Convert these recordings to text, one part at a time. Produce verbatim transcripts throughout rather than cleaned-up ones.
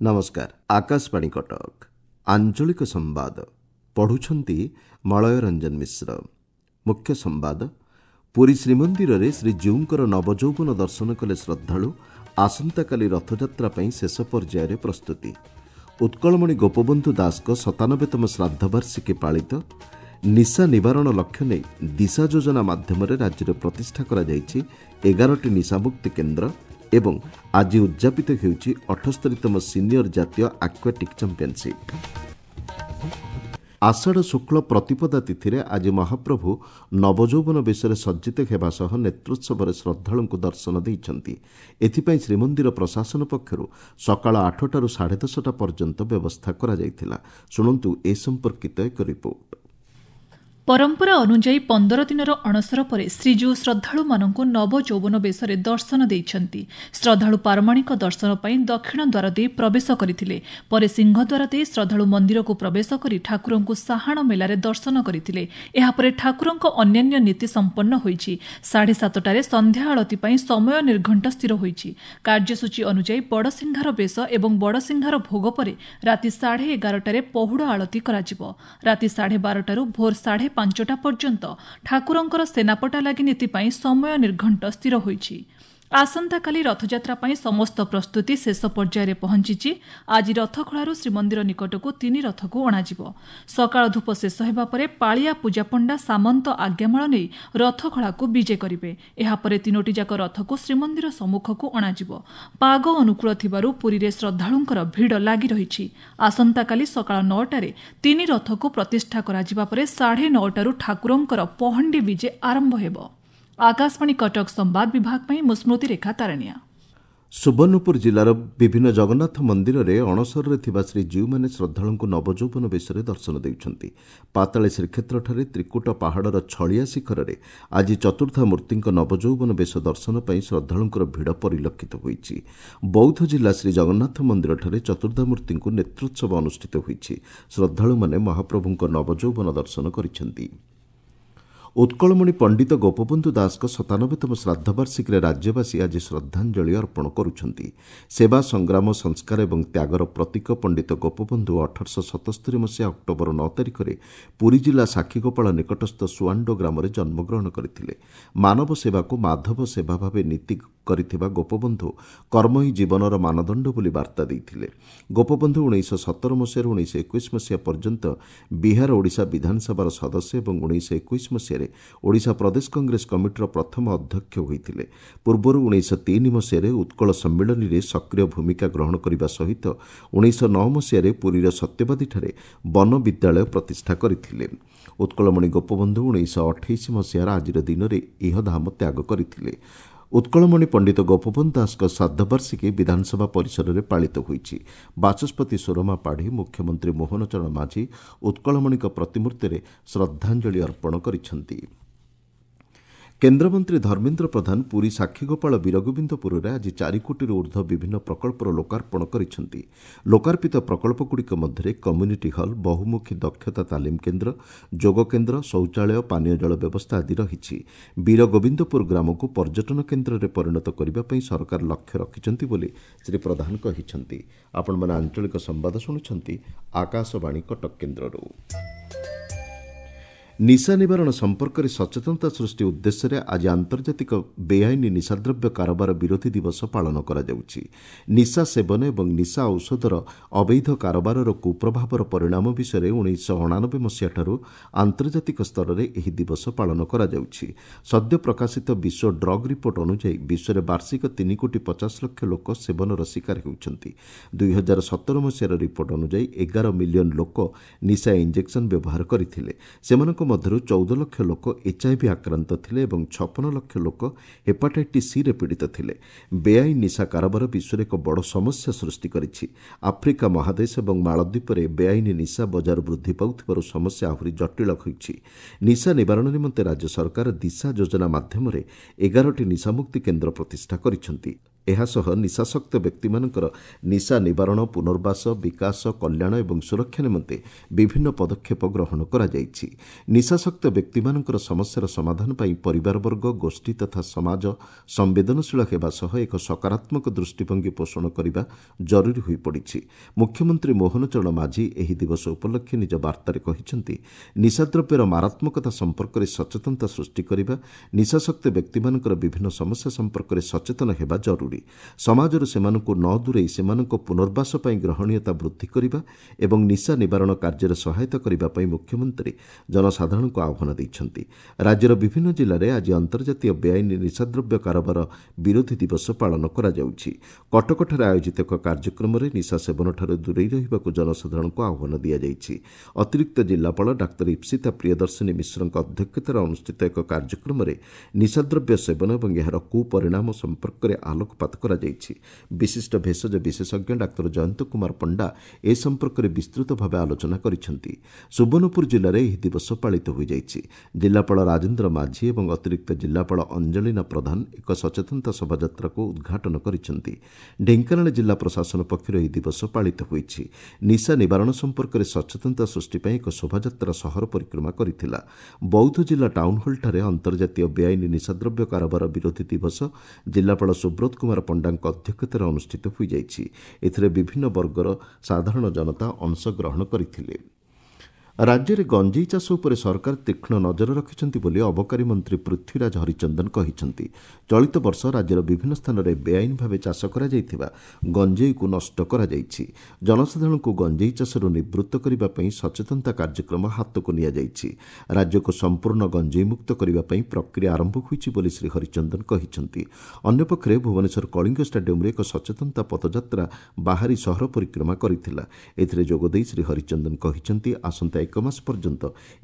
ନମସ୍କାର, ଆକାଶବାଣୀ କଟକ। ଆଞ୍ଚଳିକ ସମ୍ବାଦ ପଢ଼ୁଛନ୍ତି ମଳୟ ରଞ୍ଜନ ମିଶ୍ର। ମୁଖ୍ୟ ସମ୍ବାଦ, ପୁରୀ ଶ୍ରୀମନ୍ଦିରରେ ଶ୍ରୀଜୀଉଙ୍କର ନବଯୌବନ ଦର୍ଶନ କଲେ ଶ୍ରଦ୍ଧାଳୁ। ଆସନ୍ତାକାଲି ରଥଯାତ୍ରା ପାଇଁ ଶେଷ ପର୍ଯ୍ୟାୟରେ ପ୍ରସ୍ତୁତି। ଉତ୍କଳମଣି ଗୋପବନ୍ଧୁ ଦାସଙ୍କ ସତାନବେତମ ଶ୍ରାଦ୍ଧବାର୍ଷିକୀ ପାଳିତ। ନିଶା ନିବାରଣ ଲକ୍ଷ୍ୟ ନେଇ ଦିଶା ଯୋଜନା ମାଧ୍ୟମରେ ରାଜ୍ୟରେ ପ୍ରତିଷ୍ଠା କରାଯାଇଛି ଏଗାରଟି ନିଶାମୁକ୍ତି କେନ୍ଦ୍ର। ଏବଂ ଆଜି ଉଦ୍ଯାପିତ ହେଉଛି ଅଠସ୍ତରୀତମ ସିନିୟର ଜାତୀୟ ଆକ୍ୱାଟିକ୍ ଚାମ୍ପିୟନସିପ୍। ଆଷାଢ଼ ଶୁକ୍ଳ ପ୍ରତିପଦା ତିଥିରେ ଆଜି ମହାପ୍ରଭୁ ନବଯୌବନ ବେଶରେ ସଜ୍ଜିତ ହେବା ସହ ନେତ୍ରୋତ୍ସବରେ ଶ୍ରଦ୍ଧାଳୁଙ୍କୁ ଦର୍ଶନ ଦେଇଛନ୍ତି। ଏଥିପାଇଁ ଶ୍ରୀମନ୍ଦିର ପ୍ରଶାସନ ପକ୍ଷରୁ ସକାଳ ଆଠଟାରୁ ସାଢ଼େ ଦଶଟା ପର୍ଯ୍ୟନ୍ତ ବ୍ୟବସ୍ଥା କରାଯାଇଥିଲା। ଶୁଣନ୍ତୁ ଏ ସମ୍ପର୍କିତ ଏକ ରିପୋର୍ଟ। ପରମ୍ପରା ଅନୁଯାୟୀ ପନ୍ଦର ଦିନର ଅଣସର ପରେ ଶ୍ରୀଜୀଉ ଶ୍ରଦ୍ଧାଳୁମାନଙ୍କୁ ନବଯୌବନ ବେଶରେ ଦର୍ଶନ ଦେଇଛନ୍ତି। ଶ୍ରଦ୍ଧାଳୁ ପାରମାଣିକ ଦର୍ଶନ ପାଇଁ ଦକ୍ଷିଣ ଦ୍ୱାର ଦେଇ ପ୍ରବେଶ କରିଥିଲେ। ପରେ ସିଂହଦ୍ୱାର ଦେଇ ଶ୍ରଦ୍ଧାଳୁ ମନ୍ଦିରକୁ ପ୍ରବେଶ କରି ଠାକୁରଙ୍କୁ ସାହାଣ ମେଲାରେ ଦର୍ଶନ କରିଥିଲେ। ଏହାପରେ ଠାକୁରଙ୍କ ଅନ୍ୟାନ୍ୟ ନୀତି ସମ୍ପନ୍ନ ହୋଇଛି। ସାଢ଼େ ସାତଟାରେ ସନ୍ଧ୍ୟା ଆଳତୀ ପାଇଁ ସମୟ ନିର୍ଘଣ୍ଟ ସ୍ଥିର ହୋଇଛି। କାର୍ଯ୍ୟସୂଚୀ ଅନୁଯାୟୀ ବଡ଼ସିଂହାର ବେଶ ଏବଂ ବଡ଼ସିଂହାର ଭୋଗ ପରେ ରାତି ସାଢ଼େ ଏଗାରଟାରେ ପହୁଡ଼ ଆଳତୀ କରାଯିବ। ରାତି ସାଢ଼େ ବାରଟାରୁ ଭୋର ସାଢ଼େ ପାଞ୍ଚଟା ପର୍ଯ୍ୟନ୍ତ ଠାକୁରଙ୍କର ସେନାପଟା ଲାଗି ନୀତି ପାଇଁ ସମୟ ନିର୍ଘଣ୍ଟ ସ୍ଥିର ହୋଇଛି। ଆସନ୍ତାକାଲି ରଥଯାତ୍ରା ପାଇଁ ସମସ୍ତ ପ୍ରସ୍ତୁତି ଶେଷ ପର୍ଯ୍ୟାୟରେ ପହଞ୍ଚିଛି। ଆଜି ରଥଖଳାରୁ ଶ୍ରୀମନ୍ଦିର ନିକଟକୁ ତିନି ରଥକୁ ଅଣାଯିବ। ସକାଳ ଧୂପ ଶେଷ ହେବା ପରେ ପାଳିଆ ପୂଜାପଣ୍ଡା ସାମନ୍ତ ଆଜ୍ଞାମାଳ ନେଇ ରଥଖଳାକୁ ବିଜେ କରିବେ। ଏହାପରେ ତିନୋଟି ଯାକ ରଥକୁ ଶ୍ରୀମନ୍ଦିର ସମ୍ମୁଖକୁ ଅଣାଯିବ। ପାଗ ଅନୁକୂଳ ଥିବାରୁ ପୁରୀରେ ଶ୍ରଦ୍ଧାଳୁଙ୍କର ଭିଡ଼ ଲାଗି ରହିଛି। ଆସନ୍ତାକାଲି ସକାଳ ନଅଟାରେ ତିନି ରଥକୁ ପ୍ରତିଷ୍ଠା କରାଯିବା ପରେ ସାଢ଼େ ନଅଟାରୁ ଠାକୁରଙ୍କର ପହଣ୍ଡି ବିଜେ ଆରମ୍ଭ ହେବ। ଆକାଶବାଣୀ କଟକ ସମ୍ବାଦ ବିଭାଗ ପାଇଁ ମୁଁ ସ୍ମୃତିରେଖା ତାରଣିଆ। ସୁବର୍ଣ୍ଣପୁର ଜିଲ୍ଲାର ବିଭିନ୍ନ ଜଗନ୍ନାଥ ମନ୍ଦିରରେ ଅଣସରରେ ଥିବା ଶ୍ରୀଜୀଉମାନେ ଶ୍ରଦ୍ଧାଳୁଙ୍କୁ ନବଯୌବନ ବେଶରେ ଦର୍ଶନ ଦେଉଛନ୍ତି। ପାତାଳୀ ଶ୍ରୀକ୍ଷେତ୍ରଠାରେ ତ୍ରିକୁଟ ପାହାଡ଼ର ଛଳିଆ ଶିଖରରେ ଆଜି ଚତୁର୍ଦ୍ଧା ମୂର୍ତ୍ତିଙ୍କ ନବଯୌବନ ବେଶ ଦର୍ଶନ ପାଇଁ ଶ୍ରଦ୍ଧାଳୁଙ୍କର ଭିଡ଼ ପରିଲକ୍ଷିତ ହୋଇଛି। ବୌଦ୍ଧ ଜିଲ୍ଲା ଶ୍ରୀ ଜଗନ୍ନାଥ ମନ୍ଦିରଠାରେ ଚତୁର୍ଦ୍ଧା ମୂର୍ତ୍ତିଙ୍କୁ ନେତ୍ରୋତ୍ସବ ଅନୁଷ୍ଠିତ ହୋଇଛି। ଶ୍ରଦ୍ଧାଳୁମାନେ ମହାପ୍ରଭୁଙ୍କ ନବଯୌବନ ଦର୍ଶନ କରିଛନ୍ତି। ଉତ୍କଳମଣି ପଣ୍ଡିତ ଗୋପବନ୍ଧୁ ଦାସଙ୍କ ସତାନବେତମ ଶ୍ରାଦ୍ଧବାର୍ଷିକୀରେ ରାଜ୍ୟବାସୀ ଆଜି ଶ୍ରଦ୍ଧାଞ୍ଜଳି ଅର୍ପଣ କରୁଛନ୍ତି। ସେବା, ସଂଗ୍ରାମ, ସଂସ୍କାର ଏବଂ ତ୍ୟାଗର ପ୍ରତୀକ ପଣ୍ଡିତ ଗୋପବନ୍ଧୁ ଅଠରଶହ ସତସ୍ତରୀ ମସିହା ଅକ୍ଟୋବର ନଅ ତାରିଖରେ ପୁରୀ ଜିଲ୍ଲା ସାକ୍ଷୀଗୋପାଳ ନିକଟସ୍ଥ ସୁଆଣ୍ଡୋ ଗ୍ରାମରେ ଜନ୍ମଗ୍ରହଣ କରିଥିଲେ। ମାନବ ସେବାକୁ ମାଧବ ସେବା ଭାବେ ନୀତି କରିଥିବା ଗୋପବନ୍ଧୁ କର୍ମ ହିଁ ଜୀବନର ମାନଦଣ୍ଡ ବୋଲି ବାର୍ତ୍ତା ଦେଇଥିଲେ। ଗୋପବନ୍ଧୁ ଉଣେଇଶହ ସତର ମସିହାରୁ ଉଣେଇଶହ ଏକୋଇଶ ମସିହା ପର୍ଯ୍ୟନ୍ତ ବିହାର ଓଡ଼ିଶା ବିଧାନସଭାର ସଦସ୍ୟ ଏବଂ ଉଣେଇଶହ ଏକୋଇଶ ମସିହାରେ ଓଡ଼ିଶା ପ୍ରଦେଶ କଂଗ୍ରେସ କମିଟିର ପ୍ରଥମ ଅଧ୍ୟକ୍ଷ ହୋଇଥିଲେ। ପୂର୍ବରୁ ଉଣେଇଶହ ତିନି ମସିହାରେ ଉତ୍କଳ ସମ୍ମିଳନୀରେ ସକ୍ରିୟ ଭୂମିକା ଗ୍ରହଣ କରିବା ସହିତ ଉଣେଇଶହ ନଅ ମସିହାରେ ପୁରୀର ସତ୍ୟବାଦୀଠାରେ ବନ ବିଦ୍ୟାଳୟ ପ୍ରତିଷ୍ଠା କରିଥିଲେ। ଉତ୍କଳମଣି ଗୋପବନ୍ଧୁ ଉଣେଇଶହ ଅଠେଇଶ ମସିହାର ଆଜିର ଦିନରେ ଇହଧାମ ତ୍ୟାଗ କରିଥିଲେ। ଉତ୍କଳମଣି ପଣ୍ଡିତ ଗୋପବନ୍ଧୁ ଦାସଙ୍କ ଶ୍ରାଦ୍ଧବାର୍ଷିକୀ ବିଧାନସଭା ପରିସରରେ ପାଳିତ ହୋଇଛି। ବାଚସ୍ପତି ସୁରମା ପାଢ଼ୀ, ମୁଖ୍ୟମନ୍ତ୍ରୀ ମୋହନ ଚରଣ ମାଝୀ ଉତ୍କଳମଣିଙ୍କ ପ୍ରତିମୂର୍ତ୍ତିରେ ଶ୍ରଦ୍ଧାଞ୍ଜଳି ଅର୍ପଣ କରିଛନ୍ତି। କେନ୍ଦ୍ରମନ୍ତ୍ରୀ ଧର୍ମେନ୍ଦ୍ର ପ୍ରଧାନ ପୁରୀ ସାକ୍ଷୀଗୋପାଳ ବୀରଗୋବିନ୍ଦପୁରରେ ଆଜି ଚାରି କୋଟିରୁ ଉର୍ଦ୍ଧ୍ୱ ବିଭିନ୍ନ ପ୍ରକଳ୍ପର ଲୋକାର୍ପଣ କରିଛନ୍ତି। ଲୋକାର୍ପିତ ପ୍ରକଳ୍ପଗୁଡ଼ିକ ମଧ୍ୟରେ କମ୍ୟୁନିଟି ହଲ୍, ବହୁମୁଖୀ ଦକ୍ଷତା ତାଲିମ କେନ୍ଦ୍ର, ଯୋଗ କେନ୍ଦ୍ର, ଶୌଚାଳୟ, ପାନୀୟ ଜଳ ବ୍ୟବସ୍ଥା ଆଦି ରହିଛି। ବୀରଗୋବିନ୍ଦପୁର ଗ୍ରାମକୁ ପର୍ଯ୍ୟଟନ କେନ୍ଦ୍ରରେ ପରିଣତ କରିବା ପାଇଁ ସରକାର ଲକ୍ଷ୍ୟ ରଖିଛନ୍ତି ବୋଲି ଶ୍ରୀ ପ୍ରଧାନ କହିଛନ୍ତି। ଆପଣମାନେ ଆଞ୍ଚଳିକ ସମ୍ବାଦ ଶୁଣୁଛନ୍ତି ଆକାଶବାଣୀ କଟକ କେନ୍ଦ୍ରରୁ। ନିଶା ନିବାରଣ ସମ୍ପର୍କରେ ସଚେତନତା ସୃଷ୍ଟି ଉଦ୍ଦେଶ୍ୟରେ ଆଜି ଆନ୍ତର୍ଜାତିକ ବେଆଇନ ନିଶାଦ୍ରବ୍ୟ କାରବାର ବିରୋଧୀ ଦିବସ ପାଳନ କରାଯାଉଛି। ନିଶା ସେବନ ଏବଂ ନିଶା ଔଷଧର ଅବୈଧ କାରବାରର କୁପ୍ରଭାବର ପରିଣାମ ବିଷୟରେ ଉଣେଇଶହ ଅଣାନବେ ମସିହାଠାରୁ ଆନ୍ତର୍ଜାତିକ ସ୍ତରରେ ଏହି ଦିବସ ପାଳନ କରାଯାଉଛି। ସଦ୍ୟ ପ୍ରକାଶିତ ବିଶ୍ୱ ଡ୍ରଗ୍ ରିପୋର୍ଟ ଅନୁଯାୟୀ ବିଶ୍ୱରେ ବାର୍ଷିକ ତିନି କୋଟି ପଚାଶ ଲକ୍ଷ ଲୋକ ସେବନର ଶିକାର ହେଉଛନ୍ତି। ଦୁଇ ହଜାର ସତର ମସିହାର ରିପୋର୍ଟ ଅନୁଯାୟୀ ଏଗାର ମିଲିୟନ ଲୋକ ନିଶା ଇଞ୍ଜେକ୍ସନ ବ୍ୟବହାର କରିଥିଲେ। ସେମାନଙ୍କ ମଧ୍ୟରୁ ଚଉଦ ଲକ୍ଷ ଲୋକ ଏଚ୍ଆଇଭି ଆକ୍ରାନ୍ତ ଥିଲେ ଏବଂ ଛପନ ଲକ୍ଷ ଲୋକ ହେପାଟାଇଟିସ୍ ସିରେ ପୀଡ଼ିତ ଥିଲେ। ବେଆଇନ ନିଶା କାରବାର ବିଶ୍ୱରେ ଏକ ବଡ଼ ସମସ୍ୟା ସୃଷ୍ଟି କରିଛି। ଆଫ୍ରିକା ମହାଦେଶ ଏବଂ ମାଳଦ୍ୱୀପରେ ବେଆଇନ ନିଶା ବଜାର ବୃଦ୍ଧି ପାଉଥିବାରୁ ସମସ୍ୟା ଆହୁରି ଜଟିଳ ହୋଇଛି। ନିଶା ନିବାରଣ ନିମନ୍ତେ ରାଜ୍ୟ ସରକାର ଦିଶା ଯୋଜନା ମାଧ୍ୟମରେ ଏଗାରଟି ନିଶାମୁକ୍ତି କେନ୍ଦ୍ର ପ୍ରତିଷ୍ଠା କରିଛନ୍ତି। ଏହାସହ ନିଶାସକ୍ତ ବ୍ୟକ୍ତିମାନଙ୍କର ନିଶା ନିବାରଣ, ପୁନର୍ବାସ, ବିକାଶ, କଲ୍ୟାଣ ଏବଂ ସୁରକ୍ଷା ନିମନ୍ତେ ବିଭିନ୍ନ ପଦକ୍ଷେପ ଗ୍ରହଣ କରାଯାଇଛି। ନିଶାସକ୍ତ ବ୍ୟକ୍ତିମାନଙ୍କର ସମସ୍ୟାର ସମାଧାନ ପାଇଁ ପରିବାରବର୍ଗ, ଗୋଷ୍ଠୀ ତଥା ସମାଜ ସମ୍ବେଦନଶୀଳ ହେବା ସହ ଏକ ସକାରାତ୍ମକ ଦୃଷ୍ଟିଭଙ୍ଗୀ ପୋଷଣ କରିବା ଜରୁରୀ ହୋଇପଡ଼ିଛି। ମୁଖ୍ୟମନ୍ତ୍ରୀ ମୋହନ ଚରଣ ମାଝୀ ଏହି ଦିବସ ଉପଲକ୍ଷେ ନିଜ ବାର୍ତ୍ତାରେ କହିଛନ୍ତି, ନିଶାଦ୍ରବ୍ୟର ମାରାତ୍ମକତା ସମ୍ପର୍କରେ ସଚେତନତା ସୃଷ୍ଟି କରିବା, ନିଶାସକ୍ତ ବ୍ୟକ୍ତିମାନଙ୍କର ବିଭିନ୍ନ ସମସ୍ୟା ସମ୍ପର୍କରେ ସଚେତନ ହେବା ଜରୁରୀ। ସମାଜରୁ ସେମାନଙ୍କୁ ନ ଦୂରେଇ ସେମାନଙ୍କ ପୁନର୍ବାସ ପାଇଁ ଗ୍ରହଣୀୟତା ବୃଦ୍ଧି କରିବା ଏବଂ ନିଶା ନିବାରଣ କାର୍ଯ୍ୟରେ ସହାୟତା କରିବା ପାଇଁ ମୁଖ୍ୟମନ୍ତ୍ରୀ ଜନସାଧାରଣଙ୍କୁ ଆହ୍ୱାନ ଦେଇଛନ୍ତି। ରାଜ୍ୟର ବିଭିନ୍ନ ଜିଲ୍ଲାରେ ଆଜି ଅନ୍ତର୍ଜାତୀୟ ବେଆଇନ ନିଶାଦ୍ରବ୍ୟ କାରବାର ବିରୋଧୀ ଦିବସ ପାଳନ କରାଯାଉଛି। କଟକଠାରେ ଆୟୋଜିତ ଏକ କାର୍ଯ୍ୟକ୍ରମରେ ନିଶା ସେବନଠାରୁ ଦୂରେଇ ରହିବାକୁ ଜନସାଧାରଣଙ୍କୁ ଆହ୍ୱାନ ଦିଆଯାଇଛି। ଅତିରିକ୍ତ ଜିଲ୍ଲାପାଳ ଡାକ୍ତର ଇପ୍ସିତା ପ୍ରିୟଦର୍ଶିନୀ ମିଶ୍ରଙ୍କ ଅଧ୍ୟକ୍ଷତାରେ ଅନୁଷ୍ଠିତ ଏକ କାର୍ଯ୍ୟକ୍ରମରେ ନିଶାଦ୍ରବ୍ୟ ସେବନ ଏବଂ ଏହାର କୁପରିଣାମ ସମ୍ପର୍କରେ ଆଲୋକପାତ କରାଯାଇଛି। ବିଶିଷ୍ଟ ଭେଷଜ ବିଶେଷଜ୍ଞ ଡାକ୍ତର ଜୟନ୍ତ କୁମାର ପଣ୍ଡା ଏ ସମ୍ପର୍କରେ ବିସ୍ତୃତ ଭାବେ ଆଲୋଚନା କରିଛନ୍ତି। ସୁବର୍ଣ୍ଣପୁର ଜିଲ୍ଲାରେ ଏହି ଦିବସ ପାଳିତ ହୋଇଯାଇଛି। ଜିଲ୍ଲାପାଳ ରାଜେନ୍ଦ୍ର ମାଝୀ ଏବଂ ଅତିରିକ୍ତ ଜିଲ୍ଲାପାଳ ଅଞ୍ଜଳିନା ପ୍ରଧାନ ଏକ ସଚେତନତା ଶୋଭାଯାତ୍ରାକୁ ଉଦ୍ଘାଟନ କରିଛନ୍ତି। ଢେଙ୍କାନାଳ ଜିଲ୍ଲା ପ୍ରଶାସନ ପକ୍ଷରୁ ଏହି ଦିବସ ପାଳିତ ହୋଇଛି। ନିଶା ନିବାରଣ ସମ୍ପର୍କରେ ସଚେତନତା ସୃଷ୍ଟି ପାଇଁ ଏକ ଶୋଭାଯାତ୍ରା ସହର ପରିକ୍ରମା କରିଥିଲା। ବୌଦ୍ଧ ଜିଲ୍ଲା ଟାଉନହଲଠାରେ ଅନ୍ତର୍ଜାତୀୟ ବେଆଇନ ନିଶାଦ୍ରବ୍ୟ କାରବାର ବିରୋଧୀ ଦିବସ ଜିଲ୍ଲାପାଳ ସୁବ୍ରତ କୁମାର ପଣ୍ଡାଙ୍କ ଅଧ୍ୟକ୍ଷତାରେ ଅନୁଷ୍ଠିତ ହୋଇଯାଇଛି। ଏଥିରେ ବିଭିନ୍ନ ବର୍ଗର ସାଧାରଣ ଜନତା ଅଂଶଗ୍ରହଣ କରିଥିଲେ। ରାଜ୍ୟରେ ଗଞ୍ଜେଇ ଚାଷ ଉପରେ ସରକାର ତୀକ୍ଷ୍ଣ ନଜର ରଖିଛନ୍ତି ବୋଲି ଅବକାରୀ ମନ୍ତ୍ରୀ ପୃଥ୍ୱୀରାଜ ହରିଚନ୍ଦନ କହିଛନ୍ତି। ଚଳିତ ବର୍ଷ ରାଜ୍ୟର ବିଭିନ୍ନ ସ୍ଥାନରେ ବେଆଇନ ଭାବେ ଚାଷ କରାଯାଇଥିବା ଗଞ୍ଜେଇକୁ ନଷ୍ଟ କରାଯାଇଛି। ଜନସାଧାରଣଙ୍କୁ ଗଞ୍ଜେଇ ଚାଷରୁ ନିବୃତ୍ତ କରିବା ପାଇଁ ସଚେତନତା କାର୍ଯ୍ୟକ୍ରମ ହାତକୁ ନିଆଯାଇଛି। ରାଜ୍ୟକୁ ସମ୍ପୂର୍ଣ୍ଣ ଗଞ୍ଜେଇମୁକ୍ତ କରିବା ପାଇଁ ପ୍ରକ୍ରିୟା ଆରମ୍ଭ ହୋଇଛି ବୋଲି ଶ୍ରୀ ହରିଚନ୍ଦନ କହିଛନ୍ତି। ଅନ୍ୟପକ୍ଷରେ ଭୁବନେଶ୍ୱର କଳିଙ୍ଗ ଷ୍ଟାଡିୟମରେ ଏକ ସଚେତନତା ପଦଯାତ୍ରା ବାହାରି ସହର ପରିକ୍ରମା କରିଥିଲା। ଏଥିରେ ଯୋଗଦେଇ ଶ୍ରୀ ହରିଚନ୍ଦନ କହିଛନ୍ତି, ଆସନ୍ତା ଏକ ମାସ ପର୍ଯ୍ୟନ୍ତ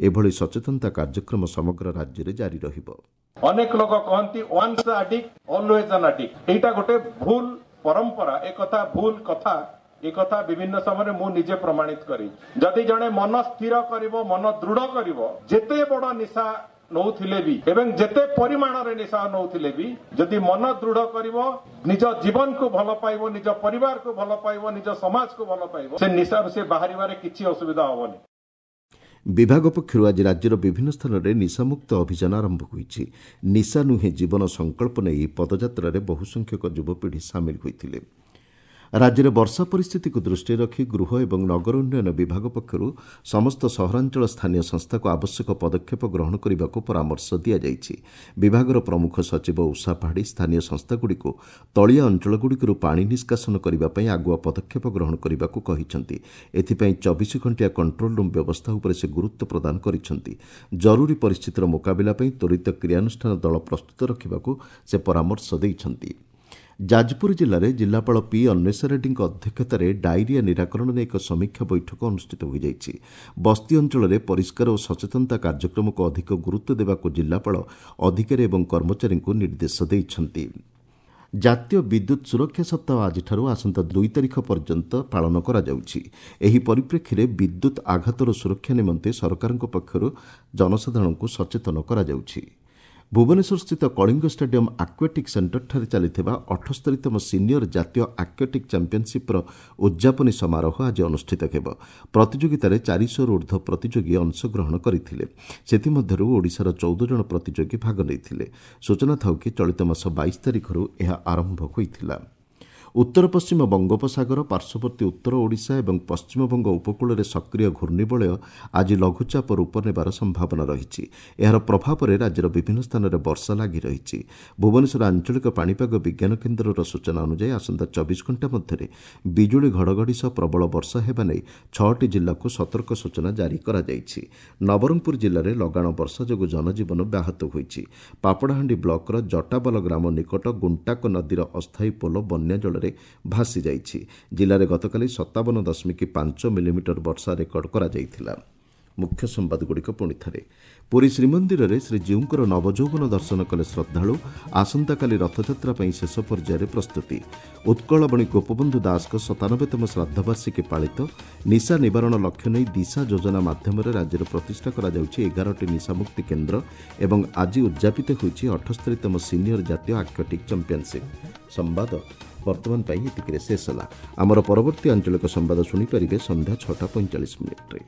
ଏଭଳି ସଚେତନତା କାର୍ଯ୍ୟକ୍ରମ ସମଗ୍ର ରାଜ୍ୟରେ ଜାରି ରହିବ। ଅନେକ ଲୋକ କହନ୍ତି once addict always an addict. ଏଇଟା ଗୋଟେ ଭୁଲ ପରମ୍ପରା, ଏ କଥା ଭୁଲ କଥା। ଏ କଥା ବିଭିନ୍ନ ସମୟରେ ମୁଁ ନିଜେ ପ୍ରମାଣିତ କରିଛି। ଯଦି ଜଣେ ମନ ସ୍ଥିର କରିବ, ମନ ଦୃଢ କରିବ, ଯେତେ ବଡ ନିଶା ନଉଥିଲେ ବି ଏବଂ ଯେତେ ପରିମାଣରେ ନିଶା ନଉଥିଲେ ବି ଯଦି ମନ ଦୃଢ କରିବ, ନିଜ ଜୀବନକୁ ଭଲ ପାଇବ, ନିଜ ପରିବାରକୁ ଭଲ ପାଇବ, ନିଜ ସମାଜକୁ ଭଲ ପାଇବ, ସେ ନିଶାରୁ ସେ ବାହାରିବାରେ କିଛି ଅସୁବିଧା ହବନି। ବିଭାଗ ପକ୍ଷରୁ ଆଜି ରାଜ୍ୟର ବିଭିନ୍ନ ସ୍ଥାନରେ ନିଶାମୁକ୍ତ ଅଭିଯାନ ଆରମ୍ଭ ହୋଇଛି। ନିଶା ନୁହେଁ ଜୀବନ ସଂକଳ୍ପ ନେଇ ପଦଯାତ୍ରାରେ ବହୁ ସଂଖ୍ୟକ ଯୁବପିଢ଼ି ସାମିଲ ହୋଇଥିଲେ। ରାଜ୍ୟରେ ବର୍ଷା ପରିସ୍ଥିତିକୁ ଦୃଷ୍ଟିରେ ରଖି ଗୃହ ଏବଂ ନଗର ଉନ୍ନୟନ ବିଭାଗ ପକ୍ଷରୁ ସମସ୍ତ ସହରାଞ୍ଚଳ ସ୍ଥାନୀୟ ସଂସ୍ଥାକୁ ଆବଶ୍ୟକ ପଦକ୍ଷେପ ଗ୍ରହଣ କରିବାକୁ ପରାମର୍ଶ ଦିଆଯାଇଛି। ବିଭାଗର ପ୍ରମୁଖ ସଚିବ ଉଷା ପାଢ଼ୀ ସ୍ଥାନୀୟ ସଂସ୍ଥାଗୁଡ଼ିକୁ ତଳିଆ ଅଞ୍ଚଳଗୁଡ଼ିକରୁ ପାଣି ନିଷ୍କାସନ କରିବା ପାଇଁ ଆଗୁଆ ପଦକ୍ଷେପ ଗ୍ରହଣ କରିବାକୁ କହିଛନ୍ତି। ଏଥିପାଇଁ ଚବିଶ ଘଣ୍ଟିଆ କଣ୍ଟ୍ରୋଲ ରୁମ୍ ବ୍ୟବସ୍ଥା ଉପରେ ସେ ଗୁରୁତ୍ୱ ପ୍ରଦାନ କରିଛନ୍ତି। ଜରୁରୀ ପରିସ୍ଥିତିର ମୁକାବିଲା ପାଇଁ ତ୍ୱରିତ କ୍ରିୟାନୁଷ୍ଠାନ ଦଳ ପ୍ରସ୍ତୁତ ରଖିବାକୁ ସେ ପରାମର୍ଶ ଦେଇଛନ୍ତି। ଯାଜପୁର ଜିଲ୍ଲାରେ ଜିଲ୍ଲାପାଳ ପି ଅନ୍ୱେଷା ରେଡ୍ଡୀଙ୍କ ଅଧ୍ୟକ୍ଷତାରେ ଡାଇରିଆ ନିରାକରଣ ନେଇ ଏକ ସମୀକ୍ଷା ବୈଠକ ଅନୁଷ୍ଠିତ ହୋଇଯାଇଛି। ବସ୍ତି ଅଞ୍ଚଳରେ ପରିଷ୍କାର ଓ ସଚେତନତା କାର୍ଯ୍ୟକ୍ରମକୁ ଅଧିକ ଗୁରୁତ୍ୱ ଦେବାକୁ ଜିଲ୍ଲାପାଳ ଅଧିକାରୀ ଏବଂ କର୍ମଚାରୀଙ୍କୁ ନିର୍ଦ୍ଦେଶ ଦେଇଛନ୍ତି। ଜାତୀୟ ବିଦ୍ୟୁତ୍ ସୁରକ୍ଷା ସପ୍ତାହ ଆଜିଠାରୁ ଆସନ୍ତା ଦୁଇ ତାରିଖ ପର୍ଯ୍ୟନ୍ତ ପାଳନ କରାଯାଉଛି। ଏହି ପରିପ୍ରେକ୍ଷୀରେ ବିଦ୍ୟୁତ୍ ଆଘାତରୁ ସୁରକ୍ଷା ନିମନ୍ତେ ସରକାରଙ୍କ ପକ୍ଷରୁ ଜନସାଧାରଣଙ୍କୁ ସଚେତନ କରାଯାଉଛି। ଭୁବନେଶ୍ୱରସ୍ଥିତ କଳିଙ୍ଗ ଷ୍ଟାଡିୟମ୍ ଆକ୍ୱାଟିକ୍ ସେଣ୍ଟରଠାରେ ଚାଲିଥିବା ଅଠସ୍ତରୀତମ ସିନିୟର ଜାତୀୟ ଆକ୍ୱାଟିକ୍ ଚାମ୍ପିୟନସିପ୍ର ଉଦ୍ଯାପନୀ ସମାରୋହ ଆଜି ଅନୁଷ୍ଠିତ ହେବ। ପ୍ରତିଯୋଗିତାରେ ଚାରିଶହରୁ ଉର୍ଦ୍ଧ୍ୱ ପ୍ରତିଯୋଗୀ ଅଂଶଗ୍ରହଣ କରିଥିଲେ। ସେଥିମଧ୍ୟରୁ ଓଡ଼ିଶାର ଚଉଦ ଜଣ ପ୍ରତିଯୋଗୀ ଭାଗ ନେଇଥିଲେ। ସୂଚନା ଥାଉ କି ଚଳିତ ମାସ ବାଇଶ ତାରିଖରୁ ଏହା ଆରମ୍ଭ ହୋଇଥିଲା। ଉତ୍ତର ପଶ୍ଚିମ ବଙ୍ଗୋପସାଗର ପାର୍ଶ୍ୱବର୍ତ୍ତୀ ଉତ୍ତର ଓଡ଼ିଶା ଏବଂ ପଶ୍ଚିମବଙ୍ଗ ଉପକୂଳରେ ସକ୍ରିୟ ଘୂର୍ଣ୍ଣିବଳୟ ଆଜି ଲଘୁଚାପ ରୂପ ନେବାର ସମ୍ଭାବନା ରହିଛି। ଏହାର ପ୍ରଭାବରେ ରାଜ୍ୟର ବିଭିନ୍ନ ସ୍ଥାନରେ ବର୍ଷା ଲାଗି ରହିଛି। ଭୁବନେଶ୍ୱର ଆଞ୍ଚଳିକ ପାଣିପାଗ ବିଜ୍ଞାନ କେନ୍ଦ୍ରର ସୂଚନା ଅନୁଯାୟୀ ଆସନ୍ତା ଚବିଶ ଘଣ୍ଟା ମଧ୍ୟରେ ବିଜୁଳି ଘଡ଼ଘଡ଼ି ସହ ପ୍ରବଳ ବର୍ଷା ହେବା ନେଇ ଛଅଟି ଜିଲ୍ଲାକୁ ସତର୍କ ସୂଚନା ଜାରି କରାଯାଇଛି। ନବରଙ୍ଗପୁର ଜିଲ୍ଲାରେ ଲଗାଣ ବର୍ଷା ଯୋଗୁଁ ଜନଜୀବନ ବ୍ୟାହତ ହୋଇଛି। ପାପଡ଼ାହାଣ୍ଡି ବ୍ଲକର ଜଟାବାଲ ଗ୍ରାମ ନିକଟ ଗୁଣ୍ଟାକ ନଦୀର ଅସ୍ଥାୟୀ ପୋଲ ବନ୍ୟା ଜଳରେ ଭାସି ଯାଇଛି। ଜିଲ୍ଲାରେ ଗତକାଲି ସତାବନ ଦଶମିକ ପାଞ୍ଚ ମିଲିମିଟର ବର୍ଷା ରେକର୍ଡ କରାଯାଇଥିଲା। ମୁଖ୍ୟ ସମ୍ବାଦଗୁଡ଼ିକ ପୁଣି ଥରେ। ପୁରୀ ଶ୍ରୀମନ୍ଦିରରେ ଶ୍ରୀଜୀଉଙ୍କର ନବଯୌବନ ଦର୍ଶନ କଲେ ଶ୍ରଦ୍ଧାଳୁ। ଆସନ୍ତାକାଲି ରଥଯାତ୍ରା ପାଇଁ ଶେଷ ପର୍ଯ୍ୟାୟରେ ପ୍ରସ୍ତୁତି। ଉତ୍କଳମଣି ଗୋପବନ୍ଧୁ ଦାସଙ୍କ ସତାନବେତମ ଶ୍ରାଦ୍ଧବାର୍ଷିକୀ ପାଳିତ। ନିଶା ନିବାରଣ ଲକ୍ଷ୍ୟ ନେଇ ଦିଶା ଯୋଜନା ମାଧ୍ୟମରେ ରାଜ୍ୟରେ ପ୍ରତିଷ୍ଠା କରାଯାଉଛି ଏଗାରଟି ନିଶାମୁକ୍ତି କେନ୍ଦ୍ର। ଏବଂ ଆଜି ଉଦ୍ଯାପିତ ହୋଇଛି ଅଠସ୍ତରୀତମ ସିନିୟର ଜାତୀୟ ଆକ୍ୱାଟିକ୍ ଚାମ୍ପିୟନସିପ୍। ସମ୍ବାଦ ବର୍ତ୍ତମାନ ପାଇଁ ଏତିକିରେ ଶେଷ ହେଲା। ଆମର ପରବର୍ତ୍ତୀ ଆଞ୍ଚଳିକ ସମ୍ବାଦ ଶୁଣିପାରିବେ ସନ୍ଧ୍ୟା ଛଅଟା ପଇଁଚାଳିଶ ମିନିଟ୍ରେ।